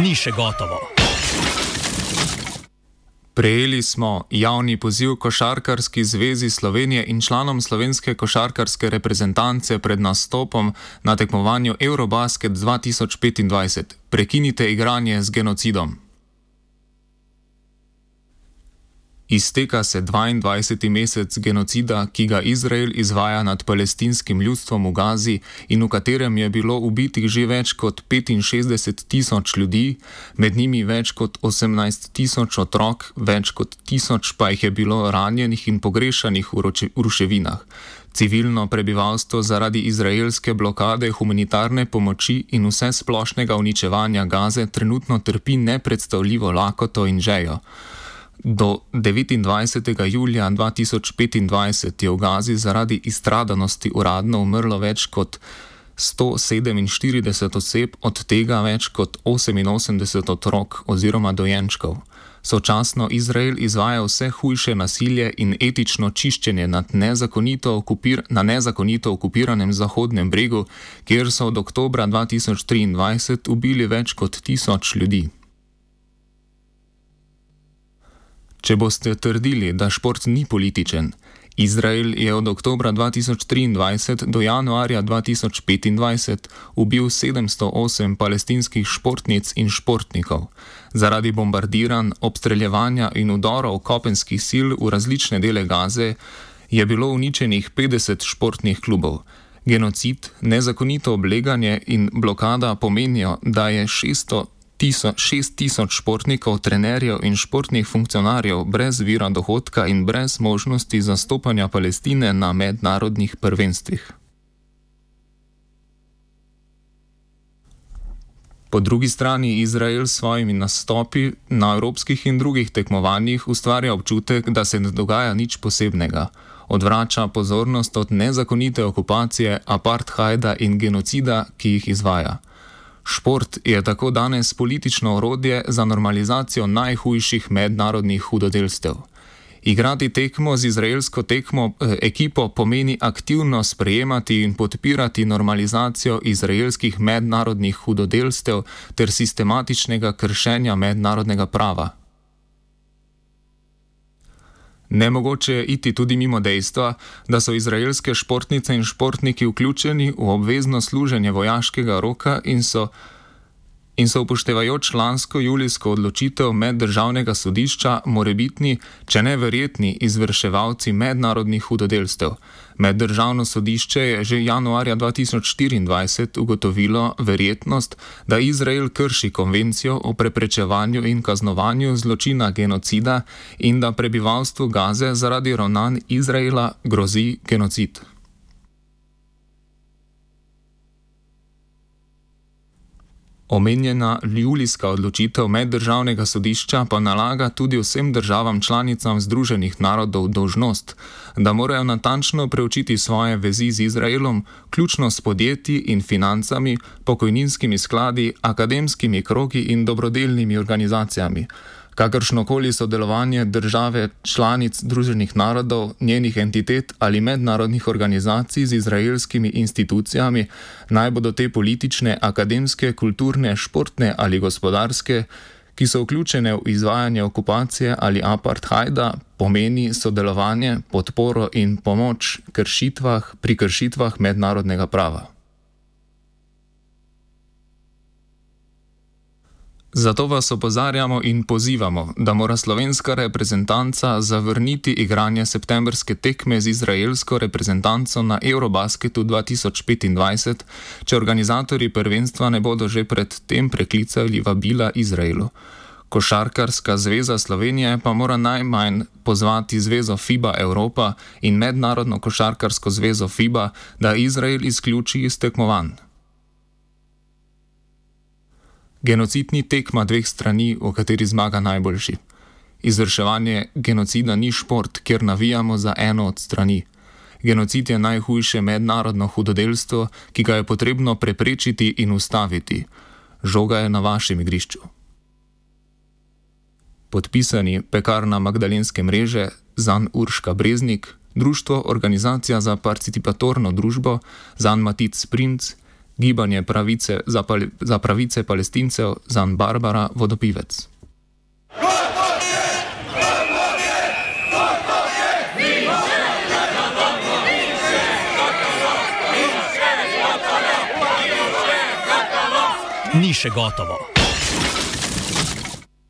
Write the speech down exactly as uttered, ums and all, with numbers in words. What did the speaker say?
ni še gotovo. Prejeli smo javni poziv Košarkarski zvezi Slovenije in članom slovenske košarkarske reprezentance pred nastopom na tekmovanju Eurobasket dva tisoč petindvajset. Prekinite igranje z genocidom. Izteka se dvaindvajseti mesec genocida, ki ga Izrael izvaja nad palestinskim ljudstvom v Gazi in v katerem je bilo ubitih že več kot petinšestdeset tisoč ljudi, med njimi več kot osemnajst tisoč otrok, več kot tisoč pa jih je bilo ranjenih in pogrešanih v ruševinah. Civilno prebivalstvo zaradi izraelske blokade humanitarne pomoči in vse splošnega uničevanja Gaze trenutno trpi nepredstavljivo lakoto in žejo. Do devetindvajsetega julija dva tisoč petindvajset je v Gazi zaradi izstradanosti uradno umrlo več kot sto sedeminštirideset oseb, od tega več kot oseminosemdeset otrok oziroma dojenčkov. Sočasno Izrael izvaja vse hujše nasilje in etično čiščenje nad nezakonito okupir, na nezakonito okupiranem Zahodnem bregu, kjer so od oktobra dva tisoč triindvajset ubili več kot tisoč ljudi. Če boste trdili, da šport ni političen, Izrael je od oktobra dva tisoč triindvajset do januarja dva tisoč petindvajset ubil sedemsto osem palestinskih športnic in športnikov. Zaradi bombardiranj, obstreljevanja in vdorov kopenskih sil v različne dele Gaze je bilo uničenih petdeset športnih klubov. Genocid, nezakonito obleganje in blokada pomenijo, da je šeststo šest tisoč športnikov, trenerjev in športnih funkcionarjev brez vira dohodka in brez možnosti zastopanja Palestine na mednarodnih prvenstvih. Po drugi strani Izrael s svojimi nastopi na evropskih in drugih tekmovanjih ustvarja občutek, da se ne dogaja nič posebnega. Odvrača pozornost od nezakonite okupacije, apartheida in genocida, ki jih izvaja. Šport je tako danes politično orodje za normalizacijo najhujših mednarodnih hudodelstev. Igrati tekmo z izraelsko tekmo, eh, ekipo pomeni aktivno sprejemati in podpirati normalizacijo izraelskih mednarodnih hudodelstev ter sistematičnega kršenja mednarodnega prava. Nemogoče je iti tudi mimo dejstva, da so izraelske športnice in športniki vključeni v obvezno služenje vojaškega roka in so, in so upoštevajoč lansko julijsko odločitev meddržavnega sodišča morebitni, če ne verjetni, izvrševalci mednarodnih hudodelstev. Meddržavno sodišče je že januarja dva tisoč štiriindvajset ugotovilo verjetnost, da Izrael krši konvencijo o preprečevanju in kaznovanju zločina genocida in da prebivalstvu Gaze zaradi ravnanj Izraela grozi genocid. Omenjena julijska odločitev meddržavnega sodišča pa nalaga tudi vsem državam članicam Združenih narodov dolžnost, da morajo natančno preučiti svoje vezi z Izraelom, ključno s podjetji in financami, pokojninskimi skladi, akademskimi krogi in dobrodelnimi organizacijami. Kakršnokoli sodelovanje države članic Združenih narodov, njenih entitet ali mednarodnih organizacij z izraelskimi institucijami, naj bodo te politične, akademske, kulturne, športne ali gospodarske, ki so vključene v izvajanje okupacije ali apartheida, pomeni sodelovanje, podporo in pomoč kršitvah, pri kršitvah mednarodnega prava. Zato vas opozarjamo in pozivamo, da mora slovenska reprezentanca zavrniti igranje septembrske tekme z izraelsko reprezentanco na Eurobasketu dva tisoč petindvajset, če organizatorji prvenstva ne bodo že pred tem preklicali vabila Izraelu. Košarkarska zveza Slovenije pa mora najmanj pozvati zvezo FIBA Evropa in mednarodno košarkarsko zvezo FIBA, da Izrael izključi iz tekmovanj. Genocid ni tekma dveh strani, v kateri zmaga najboljši. Izvrševanje genocida ni šport, kjer navijamo za eno od strani. Genocid je najhujše mednarodno hudodelstvo, ki ga je potrebno preprečiti in ustaviti. Žoga je na vašem igrišču. Podpisani Pekarna Magdalenske mreže, Zan Urška Breznik, Društvo Organizacija za participatorno družbo, Zan Matic Sprinc, Gibanje pravice za, pal za pravice Palestincev Zan Barbara Vodopivec. Ni še gotovo.